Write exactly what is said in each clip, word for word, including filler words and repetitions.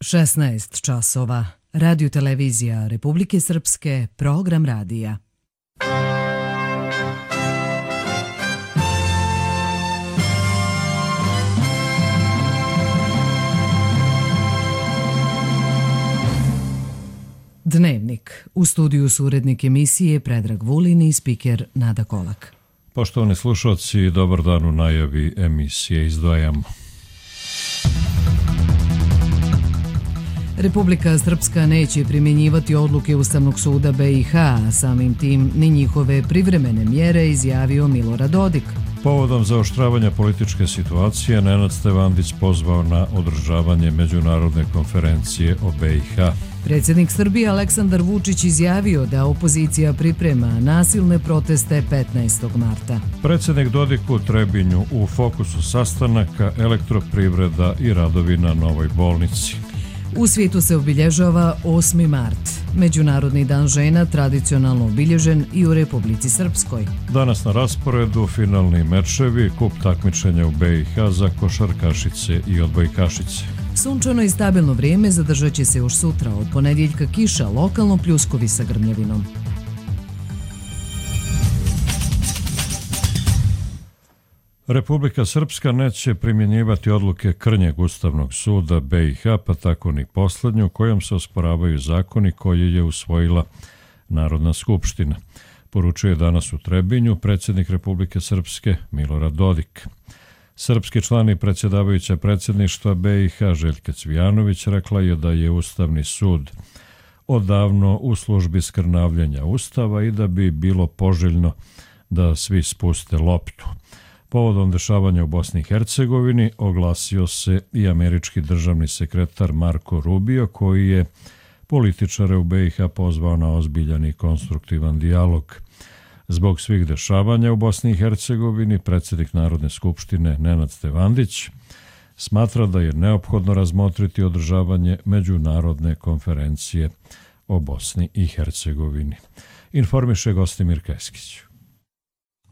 šesnaest časova. Radio televizija Republike Srpske, program radija. Dnevnik. U studiju su urednik emisije Predrag Vulin i spiker Nada Kolak. Poštovani slušalci, dobar dan. U najavi emisije izdvajamo. Republika Srpska neće primjenjivati odluke Ustavnog suda B i H, a samim tim ni njihove privremene mjere, izjavio Milorad Dodik. Povodom zaoštravanja političke situacije, Nenad Stevandić pozvao na održavanje međunarodne konferencije o B i H. Predsjednik Srbije Aleksandar Vučić izjavio da opozicija priprema nasilne proteste petnaestog marta. Predsjednik Dodik u Trebinju, u fokusu sastanaka elektroprivreda i radovi na novoj bolnici. U svijetu se obilježava osmi mart, Međunarodni dan žena, tradicionalno obilježen i u Republici Srpskoj. Danas na rasporedu finalni mečevi, kup takmičenja u B i H za košarkašice i odbojkašice. Sunčano i stabilno vrijeme zadržat će se još sutra, od ponedjeljka kiša, lokalno pljuskovi sa grmljavinom. Republika Srpska neće primjenjivati odluke krnjeg Ustavnog suda B i H, pa tako ni posljednju, kojom se osporavaju zakoni koje je usvojila Narodna skupština. Poručuje danas u Trebinju predsjednik Republike Srpske Milorad Dodik. Srpski član i predsjedavajuća predsjedništva B i H Željka Cvijanović rekla je da je Ustavni sud odavno u službi skrnavljenja Ustava i da bi bilo poželjno da svi spuste loptu. Povodom dešavanja u Bosni i Hercegovini oglasio se i američki državni sekretar Marko Rubio, koji je političare u B i H pozvao na ozbiljan i konstruktivan dijalog. Zbog svih dešavanja u Bosni i Hercegovini, predsjednik Narodne skupštine Nenad Stevandić smatra da je neophodno razmotriti održavanje međunarodne konferencije o Bosni i Hercegovini. Informiše Gostimir Keskić.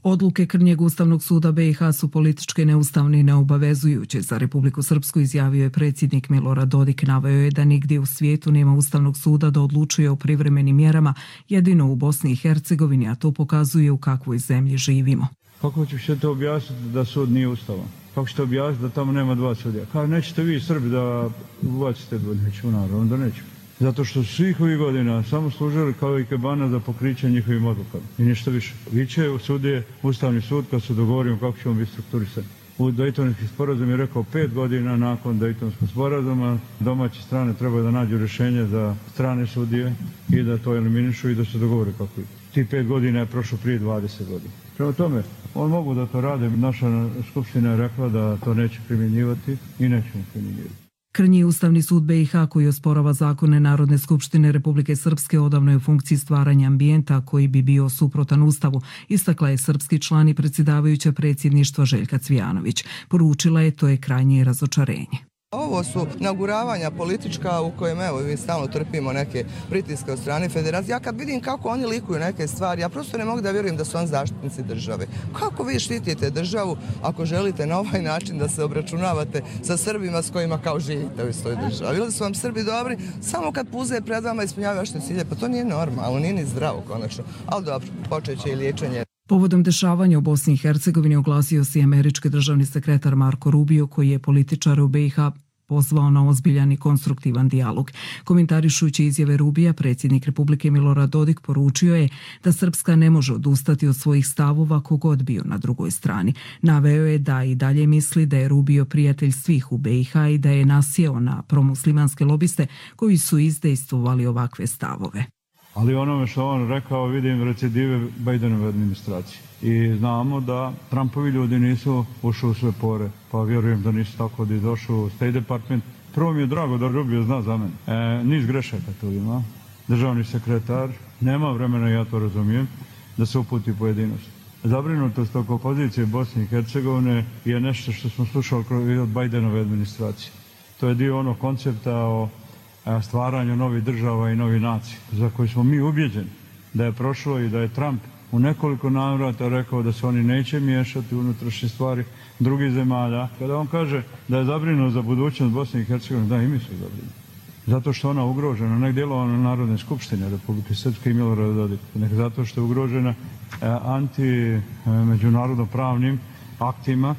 Odluke krnjeg Ustavnog suda B i H su političke, neustavne i neobavezujuće za Republiku Srpsku, izjavio je predsjednik Milorad Dodik. Naveo je da nigdje u svijetu nema Ustavnog suda da odlučuje o privremenim mjerama, jedino u Bosni i Hercegovini, a to pokazuje u kakvoj zemlji živimo. Kako ćete to objasniti da sud nije ustavan? Kako ćete objasniti da tamo nema dva sudija? Kao nećete vi Srbi da ubacite dva, nećemo naravno da nećemo. Zato što su svih ovih godina samo služili kao i kebana za pokriće njihovim odlukama. I ništa više. Viće u sudije, Ustavni sud, kad se dogovorimo kako ćemo biti strukturisani. U Dejtonski sporazum je rekao pet godina nakon Dejtonskog sporazuma domaće strane trebaju da nađu rješenje za strane sudije i da to eliminišu i da se dogovore kako je. Ti pet godina je prošlo prije dvadeset godina. Prema tome, on mogu da to rade. Naša skupština je rekla da to neće primjenjivati i nećemo primjenjivati. Krnji Ustavni sud B i H, koji osporava zakone Narodne skupštine Republike Srpske, odavno je u funkciji stvaranja ambijenta koji bi bio suprotan Ustavu, istakla je srpski član i predsjedavajuća predsjedništva Željka Cvijanović. Poručila je to je krajnje razočarenje. Ovo su naguravanja politička u kojem evo mi stalno trpimo neke pritiske od strane federacije. Ja kad vidim kako oni likuju neke stvari, ja prosto ne mogu da vjerujem da su oni zaštitnici države. Kako vi štitite državu ako želite na ovaj način da se obračunavate sa Srbima s kojima kao živite u istoj državi? Ili su vam Srbi dobri samo kad puze pred vama ispunjavaju vaše cilje? Pa to nije normalno, nije ni zdravo konačno. Ali dobro, počet će i liječenje. Povodom dešavanja u Bosni i Hercegovini oglasio se i američki državni sekretar Marko Rubio, koji je političar u B i H pozvao na ozbiljan i konstruktivan dijalog. Komentarišujući izjave Rubija, predsjednik Republike Milorad Dodik poručio je da Srpska ne može odustati od svojih stavova kogod bio na drugoj strani. Naveo je da i dalje misli da je Rubio prijatelj svih u B i H i da je nasjeo na promuslimanske lobiste koji su izdejstvovali ovakve stavove. Ali onome što on rekao vidim recidive Bidenove administracije. I znamo da Trumpovi ljudi nisu ušli u sve pore, pa vjerujem da nisu tako da došli u State Department. Prvo mi je drago da Rubio zna za mene. E, niz grešaka tu ima. Državni sekretar nema vremena, ja to razumijem, da se uputi pojedinost. Zabrinutost oko pozicije Bosne i Hercegovine je nešto što smo slušali od Bidenove administracije. To je dio onog koncepta o stvaranju novih država i novih nacija, za koje smo mi ubjeđeni da je prošlo i da je Trump u nekoliko navrata rekao da se oni neće miješati u unutrašnje stvari drugih zemalja. Kada on kaže da je zabrinut za budućnost Bosne i Hercegovine, da i mi su zabrinuti. zato što ona ugrožena, nek djelovana Narodne skupštine Republike Srpske i Milorada Dodika, nek zato što je ugrožena anti-međunarodno pravnim aktima.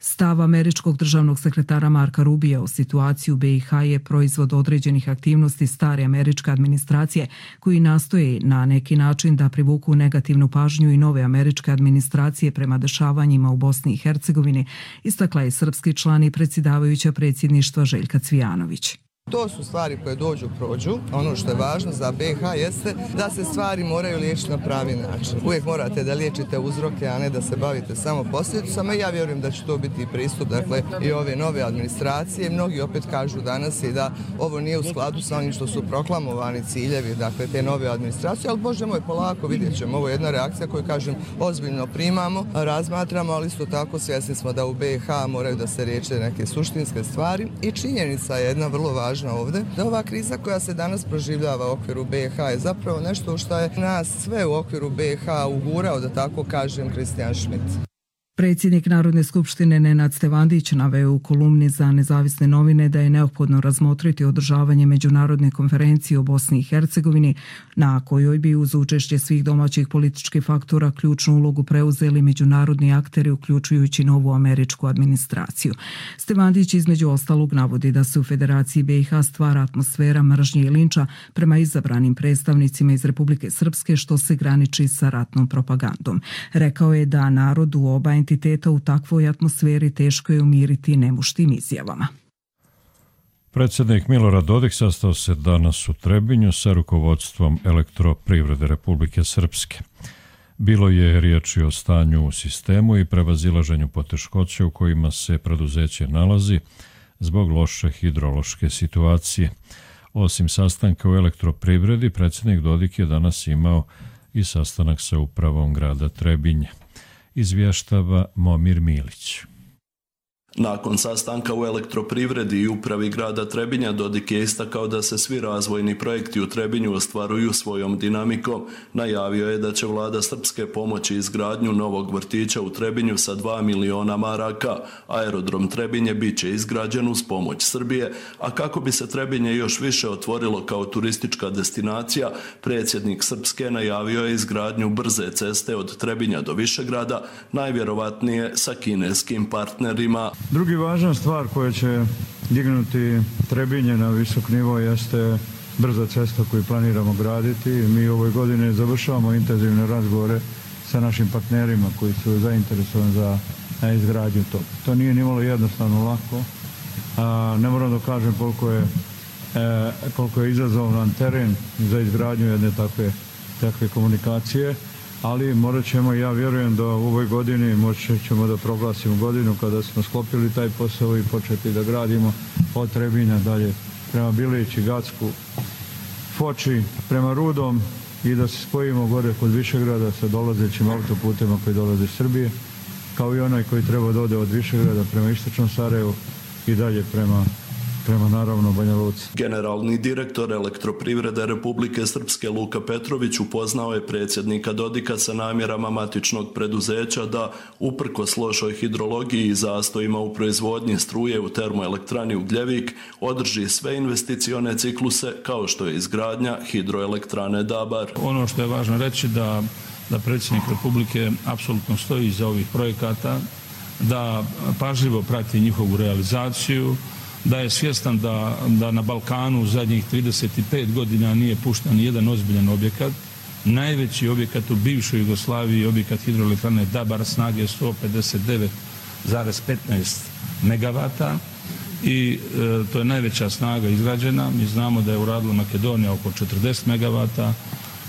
Stav američkog državnog sekretara Marka Rubija o situaciji u B i H je proizvod određenih aktivnosti stare američke administracije koji nastoje na neki način da privuku negativnu pažnju i nove američke administracije prema dešavanjima u Bosni i Hercegovini, istakla je srpski član i predsjedavajuća predsjedništva Željka Cvijanović. To su stvari koje dođu, prođu. Ono što je važno za B i H jeste da se stvari moraju liječiti na pravi način. Uvijek morate da liječite uzroke, a ne da se bavite samo posljedicama. Ja vjerujem da će to biti pristup, dakle, i ove nove administracije. Mnogi opet kažu danas i da ovo nije u skladu sa onim što su proklamovani ciljevi, dakle, te nove administracije, ali Bože moj, polako vidjet ćemo. Ovo je jedna reakcija koju, kažem, ozbiljno primamo, razmatramo, ali isto tako svjesni smo da u B i H moraju da se riječe neke suštinske stvari i činjenica je jedna vrlo važna ovdje, da ova kriza koja se danas proživljava u okviru B i H je zapravo nešto što je nas sve u okviru B i H ugurao, da tako kažem, Kristijan Schmidt. Predsjednik Narodne skupštine Nenad Stevandić naveo u kolumni za Nezavisne novine da je neophodno razmotriti održavanje međunarodne konferencije o Bosni i Hercegovini, na kojoj bi uz učešće svih domaćih političkih faktora ključnu ulogu preuzeli međunarodni akteri, uključujući novu američku administraciju. Stevandić između ostalog navodi da se u Federaciji B i H stvara atmosfera mržnje i linča prema izabranim predstavnicima iz Republike Srpske, što se graniči sa ratnom propagandom. Rekao je da narod u oba entiteta u takvoj atmosferi teško je umiriti nemuštim izjavama. Predsjednik Milorad Dodik sastao se danas u Trebinju sa rukovodstvom Elektroprivrede Republike Srpske. Bilo je riječi o stanju u sistemu i prevazilaženju poteškoća u kojima se preduzeće nalazi zbog loše hidrološke situacije. Osim sastanka u Elektroprivredi, predsjednik Dodik je danas imao i sastanak sa upravom grada Trebinja. Izvještava Momir Milić. Nakon sastanka u Elektroprivredi i upravi grada Trebinja, Dodik je istakao da se svi razvojni projekti u Trebinju ostvaruju svojom dinamikom. Najavio je da će vlada Srpske pomoći izgradnju novog vrtića u Trebinju sa dva miliona maraka. Aerodrom Trebinje bit će izgrađen uz pomoć Srbije, a kako bi se Trebinje još više otvorilo kao turistička destinacija, predsjednik Srpske najavio je izgradnju brze ceste od Trebinja do Višegrada, najvjerovatnije sa kineskim partnerima. Drugi važna stvar koja će dignuti Trebinje na visok nivo jeste brza cesta koju planiramo graditi. Mi u ovoj godini završavamo intenzivne razgovore sa našim partnerima koji su zainteresovani za izgradnju toga. To nije nimalo jednostavno lako. Ne moram da kažem koliko je, koliko je izazovan teren za izgradnju jedne takve, takve komunikacije. Ali morat ćemo, ja vjerujem da u ovoj godini moći ćemo da proglasimo godinu kada smo sklopili taj posao i početi da gradimo od Trebinja dalje prema Bilići, Gacku, Foči, prema Rudom i da se spojimo gore kod Višegrada sa dolazećim autoputema koji dolaze iz Srbije, kao i onaj koji treba da ode od Višegrada prema Istočnom Sarajevu i dalje prema prema naravno Banja Luci. Generalni direktor Elektroprivrede Republike Srpske Luka Petrović upoznao je predsjednika Dodika sa namjerama matičnog preduzeća da, uprkos lošoj hidrologiji i zastojima u proizvodnji struje u termoelektrani Ugljevik, održi sve investicione cikluse kao što je izgradnja hidroelektrane Dabar. Ono što je važno reći da, da predsjednik Republike apsolutno stoji iza ovih projekata, da pažljivo prati njihovu realizaciju, da je svjestan da, da na Balkanu u zadnjih trideset pet godina nije pušten ni jedan ozbiljan objekat. Najveći objekat u bivšoj Jugoslaviji je objekat hidroelektrane Dabar snage sto pedeset devet zarez petnaest megavata i e, to je najveća snaga izgrađena. Mi znamo da je uradila Makedonija oko četrdeset megavata,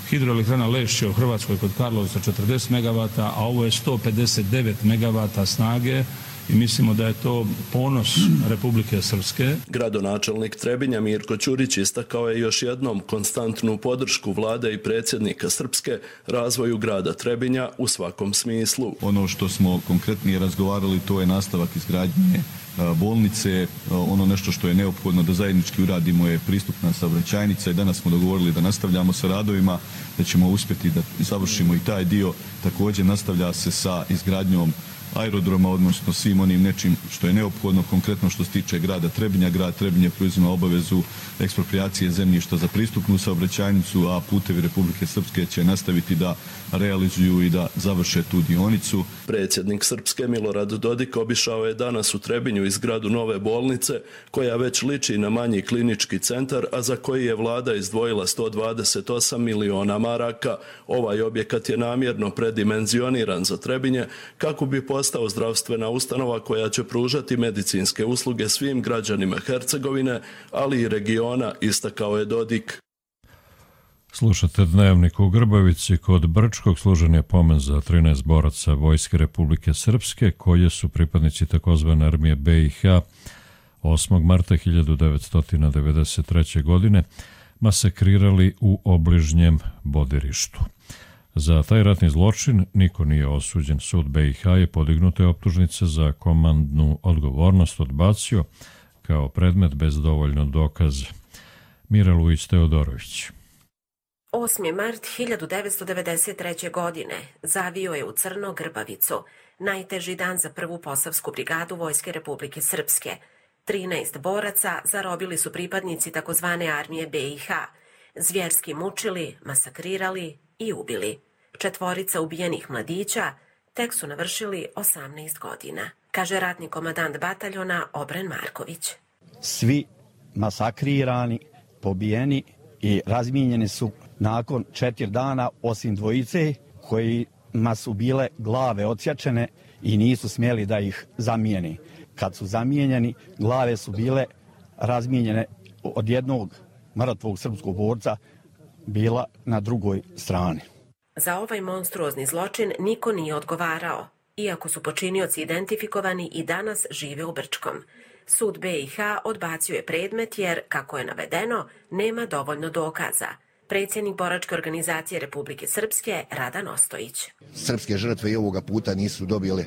hidroelektrana Lešće u Hrvatskoj kod Karlovca četrdeset megavata, a ovo je sto pedeset devet megavata snage. I mislimo da je to ponos Republike Srpske. Gradonačelnik Trebinja Mirko Ćurić istakao je još jednom konstantnu podršku vlade i predsjednika Srpske razvoju grada Trebinja u svakom smislu. Ono što smo konkretnije razgovarali, to je nastavak izgradnje bolnice. Ono nešto što je neophodno da zajednički uradimo je pristupna saobraćajnica i danas smo dogovorili da nastavljamo sa radovima, da ćemo uspjeti da završimo i taj dio. Također nastavlja se sa izgradnjom aerodroma, odnosno svim onim nečim što je neophodno, konkretno što se tiče grada Trebinja. Grad Trebinje preuzima obavezu eksproprijacije zemljišta za pristupnu saobraćajnicu, a Putevi Republike Srpske će nastaviti da realizuju i da završe tu dionicu. Predsjednik Srpske Milorad Dodik obišao je danas u Trebinju izgradu nove bolnice, koja već liči na manji klinički centar, a za koji je vlada izdvojila sto dvadeset osam miliona maraka. Ovaj objekat je namjerno predimenzioniran za Trebinje kako bi postao zdravstvena ustanova koja će pružati medicinske usluge svim građanima Hercegovine, ali i regiona, istakao je Dodik. Slušate Dnevnik u Grbavici. Kod Brčkog služen je pomen za trinaest boraca Vojske Republike Srpske, koje su pripadnici takozvane armije B i H osmog marta hiljadu devetsto devedeset treće. godine masakrirali u obližnjem Bodirištu. Za taj ratni zločin niko nije osuđen. Sud B i H je podignute optužnice za komandnu odgovornost odbacio kao predmet bez dovoljno dokaza. Mira Luić Teodorović. osmi mart hiljadu devetsto devedeset treće. godine zavio je u crno Grbavicu, najteži dan za prvu posavsku brigadu Vojske Republike Srpske. trinaest boraca zarobili su pripadnici takozvane armije B i H, zvjerski mučili, masakrirali i ubili. Četvorica ubijenih mladića tek su navršili osamnaest godina, kaže ratni komandant bataljona Obren Marković. Svi masakrirani, pobijeni i razmijenjeni su nakon četiri dana, osim dvojice kojima su bile glave odsječene i nisu smjeli da ih zamijeni. Kad su zamijenjeni, glave su bile razmijenjene od jednog mrtvog srpskog borca bila na drugoj strani. Za ovaj monstruozni zločin niko nije odgovarao, iako su počinioci identifikovani i danas žive u Brčkom. Sud B i H odbacio je predmet jer, kako je navedeno, nema dovoljno dokaza. Predsjednik boračke organizacije Republike Srpske Radan Ostojić. Srpske žrtve i ovoga puta nisu dobile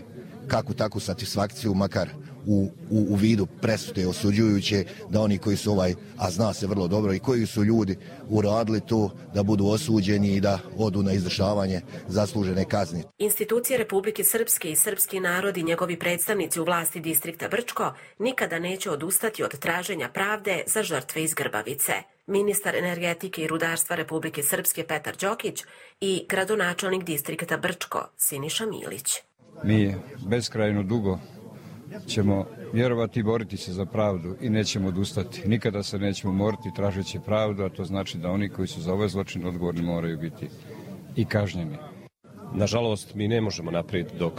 kakvu takvu satisfakciju, makar u, u, u vidu presude osuđujuće, da oni koji su ovaj, a zna se vrlo dobro i koji su ljudi uradili to, da budu osuđeni i da odu na izvršavanje zaslužene kazne. Institucije Republike Srpske i srpski narod i njegovi predstavnici u vlasti distrikta Brčko nikada neće odustati od traženja pravde za žrtve iz Grbavice. Ministar energetike i rudarstva Republike Srpske Petar Đokić i gradonačelnik distrikta Brčko Siniša Milić. Mi beskrajno dugo ćemo vjerovati i boriti se za pravdu i nećemo odustati. Nikada se nećemo morati tražeći pravdu, a to znači da oni koji su za ovaj zločin odgovorni moraju biti i kažnjeni. Nažalost, mi ne možemo naprijed dok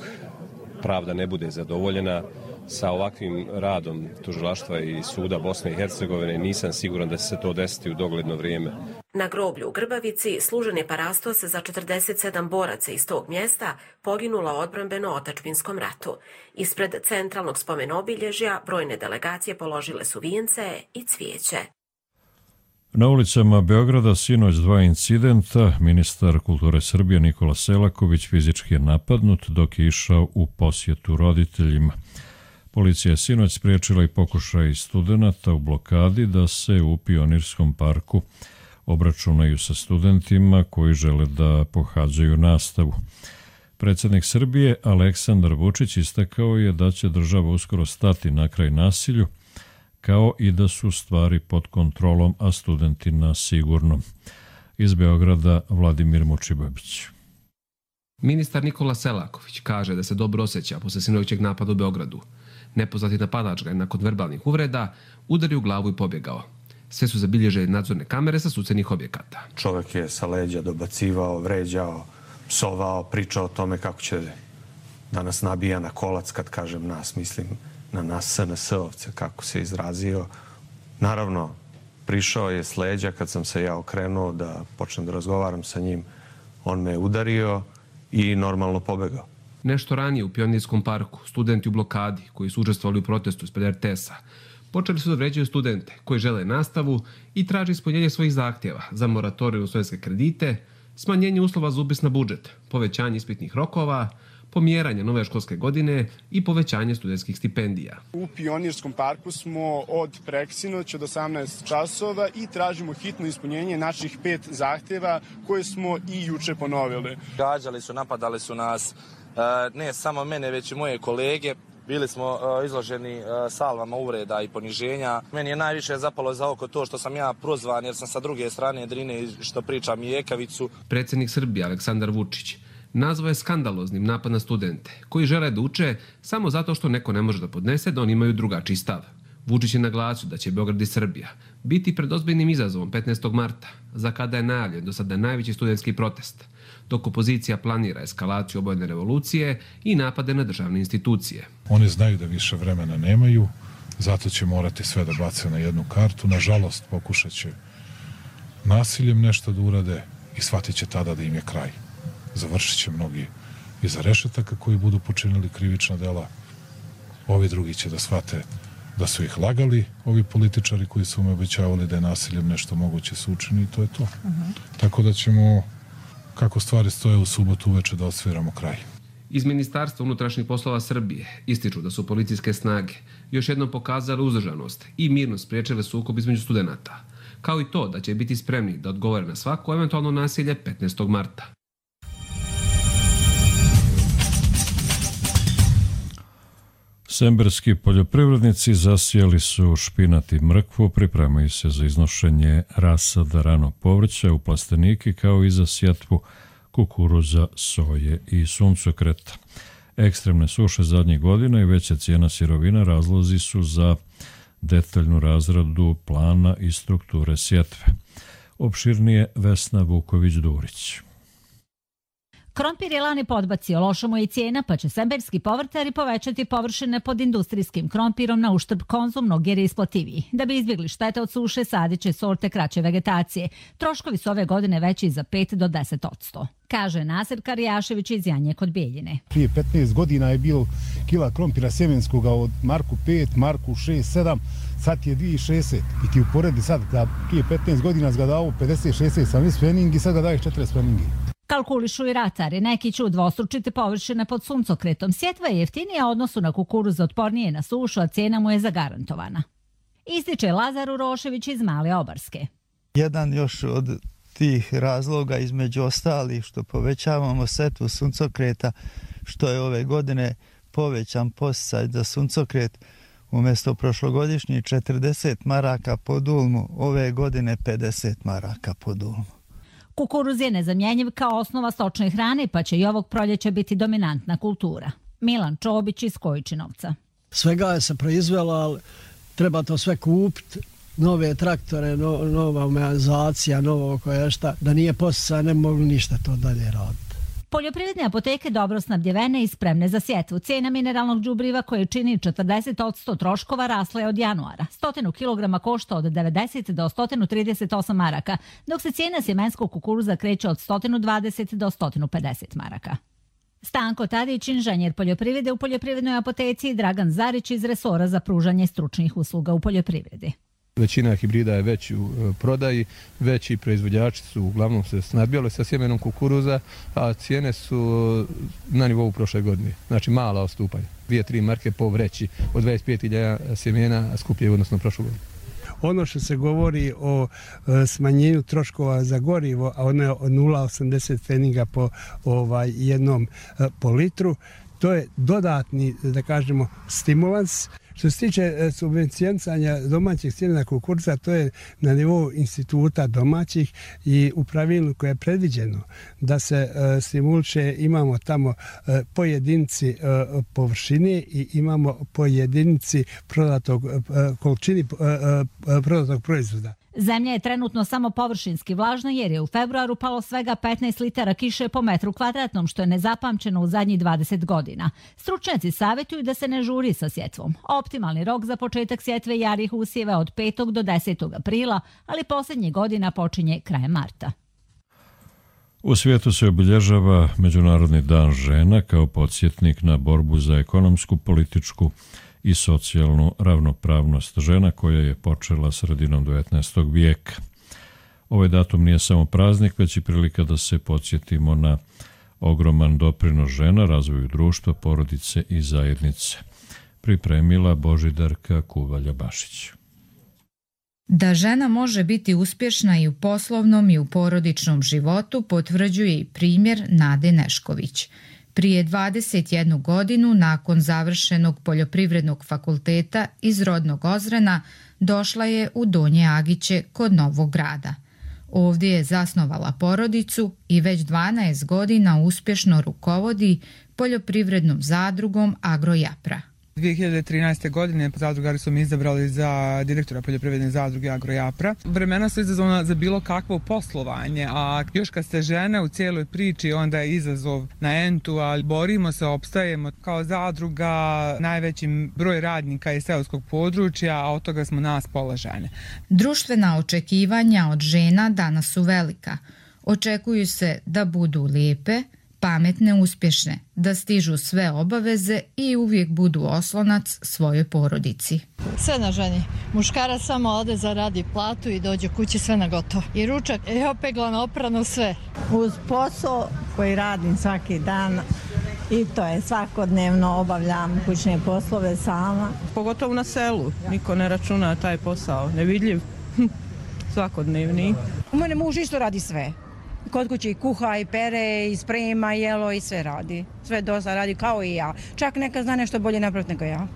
pravda ne bude zadovoljena. Sa ovakvim radom tužilaštva i suda Bosne i Hercegovine nisam siguran da će se to desiti u dogledno vrijeme. Na groblju u Grbavici služen je parastos za četrdeset sedam boraca iz tog mjesta poginula u odbrambeno-otačbinskom ratu. Ispred centralnog spomen-obilježja brojne delegacije položile su vijence i cvijeće. Na ulicama Beograda sinoć dva incidenta. Ministar kulture Srbije Nikola Selaković fizički je napadnut dok je išao u posjetu roditeljima. Policija je sinoć spriječila i pokušaj studenata u blokadi da se u Pionirskom parku obračunaju sa studentima koji žele da pohađaju nastavu. Predsjednik Srbije Aleksandar Vučić istakao je da će država uskoro stati na kraj nasilju, kao i da su stvari pod kontrolom, a studenti na sigurnom. Iz Beograda Vladimir Mučibabić. Ministar Nikola Selaković kaže da se dobro osjeća posle sinoćeg napada u Beogradu. Nepoznati napadač ga je nakon verbalnih uvreda udario u glavu i pobjegao. Sve su zabilježene nadzorne kamere sa susednih objekata. Čovjek je sa leđa dobacivao, vređao, psovao, pričao o tome kako će da nas nabija na kolac, kad kažem nas, mislim na nas S N S-ovce, kako se izrazio. Naravno, prišao je s leđa kad sam se ja okrenuo da počnem da razgovaram sa njim. On me udario i normalno pobegao. Nešto ranije u Pionirskom parku studenti u blokadi koji su učestvovali u protestu ispred R T S-a počeli su da vređaju studente koji žele nastavu i traže ispunjenje svojih zahtjeva za moratoriju u studentske kredite, smanjenje uslova za upis na budžet, povećanje ispitnih rokova, pomjeranje nove školske godine i povećanje studentskih stipendija. U Pionirskom parku smo od preksinoć od osamnaest časova i tražimo hitno ispunjenje naših pet zahtjeva koje smo i juče ponovili. Gađali su, napadali su nas, ne samo mene, već i moje kolege. Bili smo izloženi salvama uvreda i poniženja. Meni je najviše zapalo za oko to što sam ja prozvan jer sam sa druge strane Drine što pričam i Ekavicu. Predsjednik Srbije Aleksandar Vučić nazvao je skandaloznim napad na studente koji žele da uče samo zato što neko ne može da podnese da oni imaju drugačiji stav. Vučić je naglasio da će Beograd i Srbija biti pred ozbiljnim izazovom petnaestog marta, za kada je najavljen do sada najveći studentski protest, dok opozicija planira eskalaciju obojene revolucije i napade na državne institucije. Oni znaju da više vremena nemaju, zato će morati sve da bace na jednu kartu. Nažalost, pokušat će nasiljem nešto da urade i shvatit će tada da im je kraj. Završit će mnogi iza rešetaka koji budu počinili krivična dela. Ovi drugi će da shvate da su ih lagali, ovi političari koji su im obećavali da je nasiljem nešto moguće se učini i to je to. Uh-huh. Tako da ćemo, kako stvari stoje, u subotu uveče da osviramo kraj. Iz Ministarstva unutrašnjih poslova Srbije ističu da su policijske snage još jednom pokazale uzdržanost i mirno spriječile sukob između studenata, kao i to da će biti spremni da odgovore na svako eventualno nasilje petnaestog marta. Semberski poljoprivrednici zasijali su špinat i mrkvu, pripremaju se za iznošenje rasada ranog povrća u plastenike kao i za sjetvu kukuruza, soje i suncokreta. Ekstremne suše zadnjih godina i veća cijena sirovina razlozi su za detaljnu razradu plana i strukture sjetve. Opširnije Vesna Vuković-Durić. Krompir je lani podbacio, loša mu je i cijena, pa će semberski povrtari povećati površine pod industrijskim krompirom na uštrb konzumnog jer je isplativiji. Da bi izbjegli štete od suše, sadit će sorte kraće vegetacije. Troškovi su ove godine veći za pet do deset odsto. Kaže Nasir Karijašević iz Janje kod Bijeljine. Prije petnaest godina je bilo kila krompira sjemenskoga od marku pet, marku šest, sedam, sad je dvije šezdeset. I ti uporedi sad da prije petnaest godina ga dao pedeset šezdeset sa speningi, sad ga daje četrdeset speningi. Kalkulišu i ratari, neki će udvostručiti površine pod suncokretom. Sjetva je jeftinija u odnosu na kukuruz, otpornije na sušu, a cijena mu je zagarantovana. Ističe Lazar Urošević iz Male Obarske. Jedan još od tih razloga između ostalih što povećavamo setvu suncokreta, što je ove godine povećan podsticaj za suncokret, umjesto prošlogodišnjih četrdeset maraka po dulmu, ove godine pedeset maraka po dulmu. Kukuruz je nezamjenjiv kao osnova stočne hrane, pa će i ovog proljeća biti dominantna kultura. Milan Čobić iz Kojičinovca. Svega je se proizvelo, ali treba to sve kupiti. Nove traktore, no, nova mehanizacija, novo koje šta. Da nije posjeca, ne mogu ništa to dalje raditi. Poljoprivredne apoteke dobro snabdjevene i spremne za sjetvu. Cijena mineralnog đubriva koje čini četrdeset odsto troškova rasla je od januara. Stotinu kilograma košta od devedeset do sto trideset osam maraka, dok se cijena sjemenskog kukuruza kreće od sto dvadeset do sto pedeset maraka. Stanko Tadić, inženjer poljoprivrede u poljoprivrednoj apoteci, i Dragan Zarić iz resora za pružanje stručnih usluga u poljoprivredi. Većina hibrida je već u prodaji, veći proizvođači su uglavnom se snabdjeli sa sjemenom kukuruza, a cijene su na nivou prošle godine, znači mala odstupanja. Dvije, tri marke po vreći od dvadeset pet hiljada sjemena skuplje u odnosno prošlu godinu. Ono što se govori o smanjenju troškova za gorivo, a ono je od nula zarez osamdeset pfeniga po ovaj, jednom po litru, to je dodatni, da kažemo, stimulans. Što se tiče subvencioniranja domaćih sjemena kukuruza, to je na nivou instituta domaćih i u pravilniku je predviđeno da se stimuliše, imamo tamo po jedinici površine i imamo po jedinici prodatog, količini prodatog proizvoda. Zemlja je trenutno samo površinski vlažna jer je u februaru palo svega petnaest litara kiše po metru kvadratnom, što je nezapamćeno u zadnjih dvadeset godina. Stručnjaci savjetuju da se ne žuri sa sjetvom. Optimalni rok za početak sjetve jarih usjeva od petog do desetog aprila, ali posljednjih godina počinje krajem marta. U svijetu se obilježava Međunarodni dan žena kao podsjetnik na borbu za ekonomsku, političku i socijalnu ravnopravnost žena koja je počela sredinom devetnaestog vijeka. Ovaj datum nije samo praznik, već i prilika da se podsjetimo na ogroman doprinos žena razvoju društva, porodice i zajednice. Pripremila Božidarka Kuvalja-Bašić. Da žena može biti uspješna i u poslovnom i u porodičnom životu potvrđuje i primjer Nade Nešković. Prije dvadeset jednu godinu, nakon završenog poljoprivrednog fakulteta iz rodnog Ozrena, došla je u Donje Agiće kod Novog Grada. Ovdje je zasnovala porodicu i već dvanaest godina uspješno rukovodi poljoprivrednom zadrugom Agrojapra. dvije hiljade trinaeste. godine zadrugari su mi izabrali za direktora poljoprivredne zadruge Agrojapra. Vremena su izazovna za bilo kakvo poslovanje, a još kad ste žene u cijeloj priči, onda je izazov na entu, ali borimo se, opstajemo. Kao zadruga najveći broj radnika je seoskog područja, a od toga smo nas pola žene. Društvena očekivanja od žena danas su velika. Očekuju se da budu lijepe, pametne, uspješne, da stižu sve obaveze i uvijek budu oslonac svojoj porodici. Sve na ženi. Muškarac samo ode, zaradi platu i dođe kući, sve na gotovo. I ručak je opeglano, oprano, sve. Uz posao koji radim svaki dan i to je svakodnevno, obavljam kućne poslove sama. Pogotovo na selu, niko ne računa taj posao, nevidljiv, svakodnevni. U mene muž isto radi sve. Kod kuće i kuha, i pere, i sprema, jelo, i sve radi. Sve dosta radi kao i ja. Čak neka zna nešto bolje napraviti nego ja.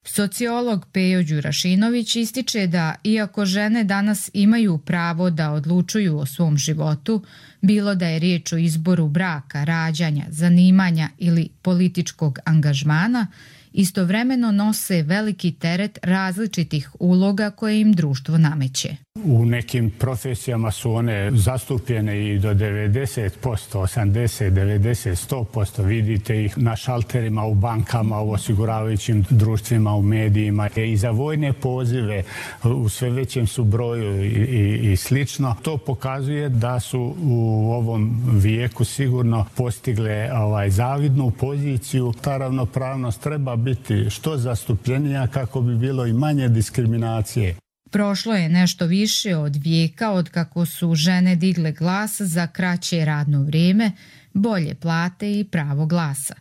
Sociolog Pejo Đurašinović ističe da, iako žene danas imaju pravo da odlučuju o svom životu, bilo da je riječ o izboru braka, rađanja, zanimanja ili političkog angažmana, istovremeno nose veliki teret različitih uloga koje im društvo nameće. U nekim profesijama su one zastupljene i do devedeset posto, osamdeset, devedeset, sto posto. Vidite ih na šalterima, u bankama, u osiguravajućim društvima, u medijima. I za vojne pozive u sve većem su broju i, i, i slično. To pokazuje da su u ovom vijeku sigurno postigle ovaj, zavidnu poziciju. Ta ravnopravnost treba biti što zastupljenija kako bi bilo i manje diskriminacije. Prošlo je nešto više od vijeka od kako su žene digle glas za kraće radno vrijeme, bolje plate i pravo glasa.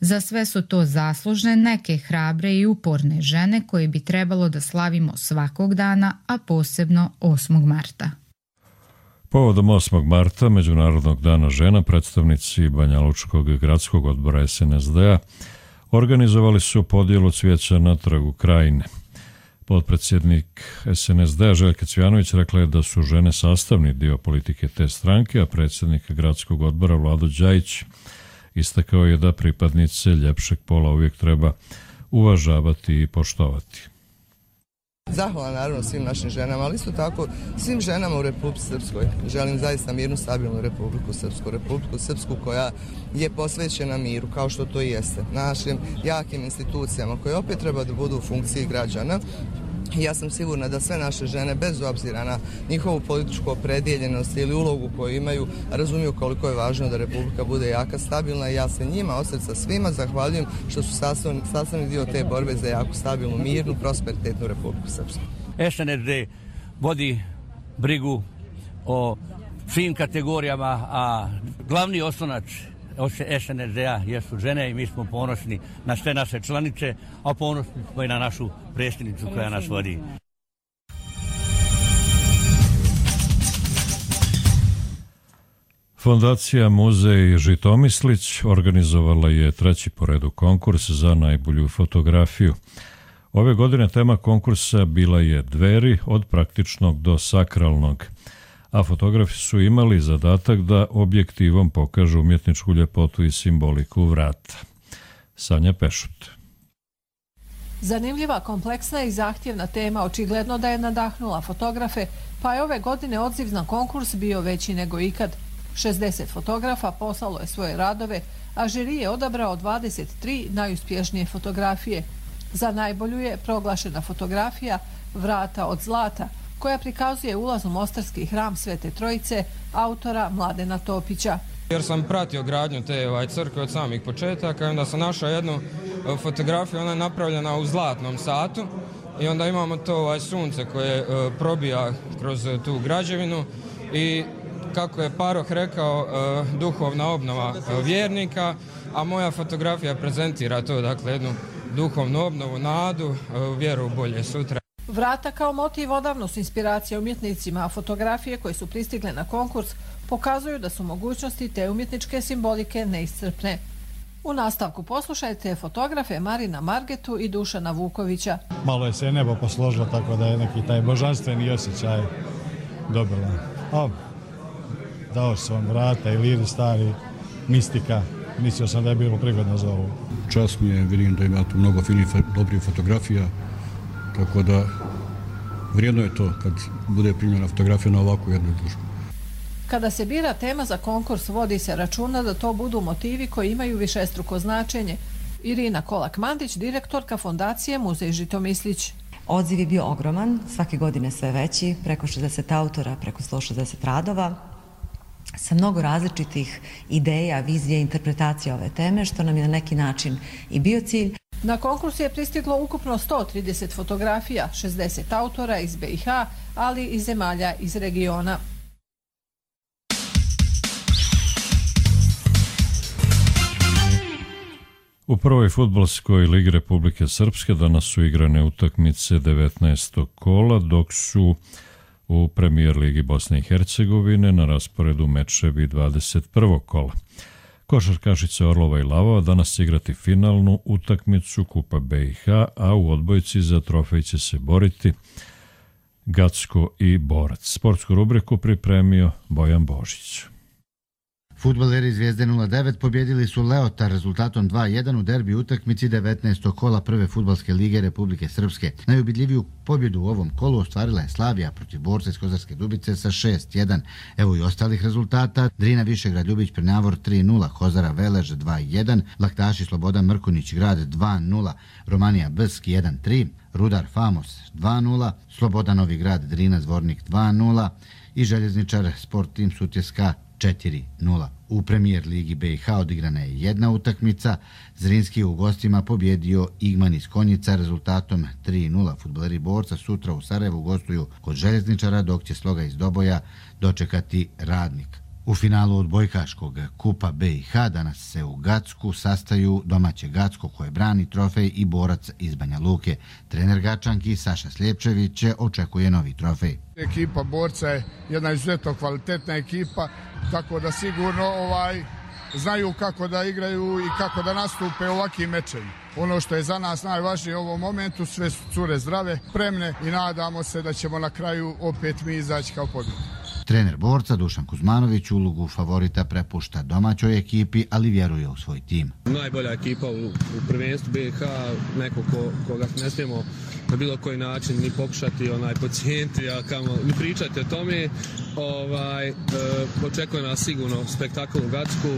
Za sve su to zaslužne neke hrabre i uporne žene koje bi trebalo da slavimo svakog dana, a posebno osmog marta. Povodom osmog marta, Međunarodnog dana žena, predstavnici Banjalučkog gradskog odbora S N S D-a organizovali su podjelu cvijeća na trgu Krajine. Potpredsjednik S N S D-a Željka Cvijanović rekla je da su žene sastavni dio politike te stranke, a predsjednik gradskog odbora Vlado Đajić istakao je da pripadnice ljepšeg pola uvijek treba uvažavati i poštovati. Zahvala naravno svim našim ženama, ali isto tako svim ženama u Republici Srpskoj. Želim zaista mirnu, stabilnu Republiku Srpsku, Republiku Srpsku koja je posvećena miru, kao što to i jeste. Našim jakim institucijama koje opet treba da budu u funkciji građana. Ja sam sigurna da sve naše žene, bez obzira na njihovu političku opredjeljenost ili ulogu koju imaju, razumiju koliko je važno da Republika bude jaka, stabilna i ja se njima od srca svima zahvaljujem što su sastavni, sastavni dio te borbe za jaku, stabilnu, mirnu, prosperitetnu Republiku Srpsku. S N S D vodi brigu o svim kategorijama, a glavni oslonac S N S D-a jesu žene i mi smo ponosni na sve naše članice, a ponosni smo i na našu predsjednicu koja nas vodi. Fondacija Muzej Žitomislić organizovala je treći po redu konkurs za najbolju fotografiju. Ove godine tema konkursa bila je Dveri, od praktičnog do sakralnog, a fotografi su imali zadatak da objektivom pokažu umjetničku ljepotu i simboliku vrata. Sanja Pešut. Zanimljiva, kompleksna i zahtjevna tema očigledno da je nadahnula fotografe, pa je ove godine odziv na konkurs bio veći nego ikad. šezdeset fotografa poslalo je svoje radove, a žiri je odabrao dvadeset tri najuspješnije fotografije. Za najbolju je proglašena fotografija Vrata od zlata, koja prikazuje ulaz u mostarski hram Svete Trojice, autora Mladena Topića. Jer sam pratio gradnju te ovaj, crkve od samih početaka i onda sam našao jednu fotografiju, ona je napravljena u zlatnom satu i onda imamo to ovaj, sunce koje uh, probija kroz uh, tu građevinu i kako je Paroh rekao, uh, duhovna obnova uh, vjernika, a moja fotografija prezentira to, dakle, jednu duhovnu obnovu, nadu, uh, vjeru u bolje sutra. Vrata kao motiv odavno su inspiracija umjetnicima, a fotografije koje su pristigle na konkurs pokazuju da su mogućnosti te umjetničke simbolike neiscrpne. U nastavku poslušajte fotografe Marina Margetu i Dušana Vukovića. Malo je se nebo posložilo, tako da je neki taj božanstveni osjećaj dobila. O, dao sam vrata i liri stari, mistika. Mislio sam da je bilo prigodno za ovo. Čast mi je, vidim da ima tu mnogo finih, dobrih fotografija, tako da vrijedno je to kad bude primljena fotografija na ovakvu jednu izložbu. Kada se bira tema za konkurs, vodi se računa da to budu motivi koji imaju višestruko značenje. Irina Kolak-Mandić, direktorka fondacije Muzej Žitomislić. Odziv je bio ogroman, svake godine sve veći, preko šezdeset autora, preko sto šezdeset radova, sa mnogo različitih ideja, vizije, interpretacija ove teme, što nam je na neki način i bio cilj. Na konkurs je pristiglo ukupno sto trideset fotografija, šezdeset autora iz B i H, ali i zemalja iz regiona. U prvoj fudbalskoj ligi Republike Srpske danas su igrane utakmice devetnaestog kola, dok su u premijer ligi Bosne i Hercegovine na rasporedu mečevi dvadeset prvog kola. Košarkašice Orlova i Lavova danas će igrati finalnu utakmicu Kupa B i H, a u odbojci za trofej će se boriti Gacko i Borac. Sportsku rubriku pripremio Bojan Božić. Fudbaleri Zvijezde nula devet pobjedili su Leota rezultatom dva jedan u derbi utakmici devetnaestog kola prve fudbalske lige Republike Srpske. Najubedljiviju pobjedu u ovom kolu ostvarila je Slavija protiv Borca iz Kozarske Dubice sa šest jedan. Evo i ostalih rezultata. Drina Višegrad Ljubić Prnjavor tri nula, Kozara Velež dva jedan, Laktaši Slobodan Mrkunić Grad dva nula, Romanija Bsk jedan tri, Rudar Famos dva nula, Slobodan Novi Grad Drina Zvornik dva nula i Željezničar Sport Tim Sutjeska četiri nula. U premijer ligi B i H odigrana je jedna utakmica. Zrinski je u gostima pobjedio Igman iz Konjica rezultatom tri nula. Fudbaleri Borca sutra u Sarajevu gostuju kod Željezničara, dok će Sloga iz Doboja dočekati Radnik. U finalu odbojkaškog Kupa B i H danas se u Gacku sastaju domaće Gacko koje brani trofej i Borac iz Banja Luke. Trener Gačanki Saša Sljepčević očekuje novi trofej. Ekipa Borca je jedna izuzetno kvalitetna ekipa, tako da sigurno ovaj znaju kako da igraju i kako da nastupe u ovakvim mečevima. Ono što je za nas najvažnije u ovom momentu, sve su cure zdrave, spremne i nadamo se da ćemo na kraju opet mi izaći kao pobjednik. Trener Borca Dušan Kuzmanović ulogu favorita prepušta domaćoj ekipi, ali vjeruje u svoj tim. Najbolja ekipa u, u prvenstvu B i H, neko ko, koga ne smijemo na bilo koji način ni pokušati onaj pacijenti, a kamo ni pričati o tome. Ovaj, e, očekuje nas sigurno spektakl u Gacku,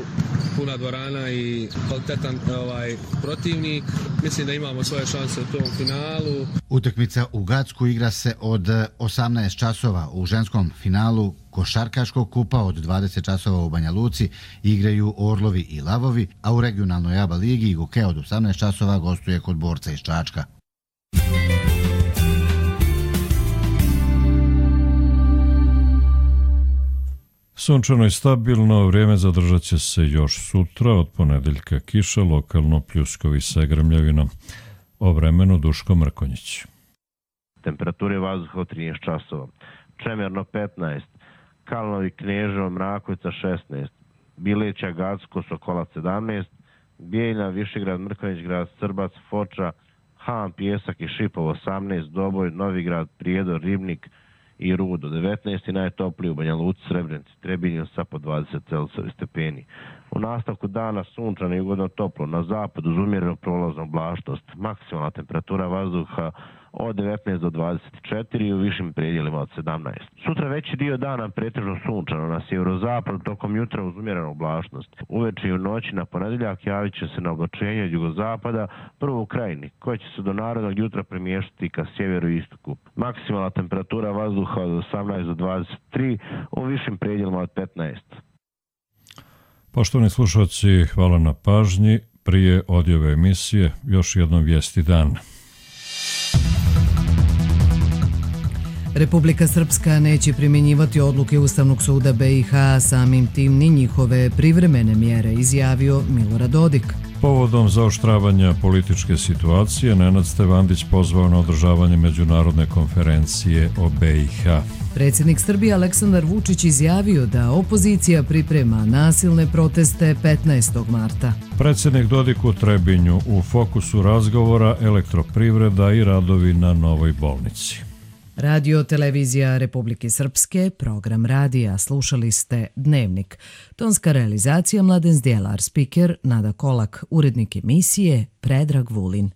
puna dvorana i kvalitetan ovaj, protivnik. Mislim da imamo svoje šanse u tom finalu. Utakmica u Gacku igra se od osamnaest časova. U ženskom finalu košarkaškog kupa od dvadeset časova u Banja Luci igraju Orlovi i Lavovi, a u regionalnoj A B A ligi Iguke od osamnaest časova gostuje kod Borca iz Čačka. Sunčano i stabilno, vrijeme zadržat će se još sutra, od ponedeljka kiša, lokalno pljuskovi sa grmljavinom. O vremenu Duško Mrkonjić. Temperature vazduha od trinaest časova. Čemerno petnaest, Kalnovi, Kneževo, Mrakovica šesnaest, Bileća, Gacko, Sokolac sedamnaest, Bijeljna, Višegrad, Mrkonjić Grad, Srbac, Foča, Han, Pjesak i Šipov osamnaest, Doboj, Novigrad, Prijedor, Ribnik i Rudo devetnaest i najtopliji u Banja Luci, Srebrenici, Trebinju sa po dvadeset Celzijevih stepeni. U nastavku dana sunčano i ugodno toplo, na zapadu uz umjerenu prolaznu oblačnost, maksimalna temperatura vazduha od devetnaest do dvadeset četiri i u višim predjelima od sedamnaest. Sutra veći dio dana pretežno sunčano, na sjeverozapadu tokom jutra uz umjerenu oblačnost. Uveče i u noći na ponedeljak javit će se na oblačenje od jugozapada, prvo u Krajini, koje će se do narodnog jutra premještati ka sjeveru i istoku. Maksimalna temperatura vazduha od osamnaest do dvadeset tri, u višim predjelima od petnaest. Poštovani slušalci, hvala na pažnji. Prije odjave emisije još jednom vijesti dana. Republika Srpska neće primjenjivati odluke Ustavnog suda B i H, samim tim ni njihove privremene mjere, izjavio Milorad Dodik. Povodom zaoštravanja političke situacije, Nenad Stevandić pozvao na održavanje međunarodne konferencije o B i H. Predsjednik Srbije Aleksandar Vučić izjavio da opozicija priprema nasilne proteste petnaestog marta. Predsjednik Dodik u Trebinju, u fokusu razgovora elektroprivreda i radovi na novoj bolnici. Radio Televizija Republike Srpske, program radija, slušali ste Dnevnik. Tonska realizacija Mladen Zdjelar, spiker Nada Kolak, urednik emisije Predrag Vulin.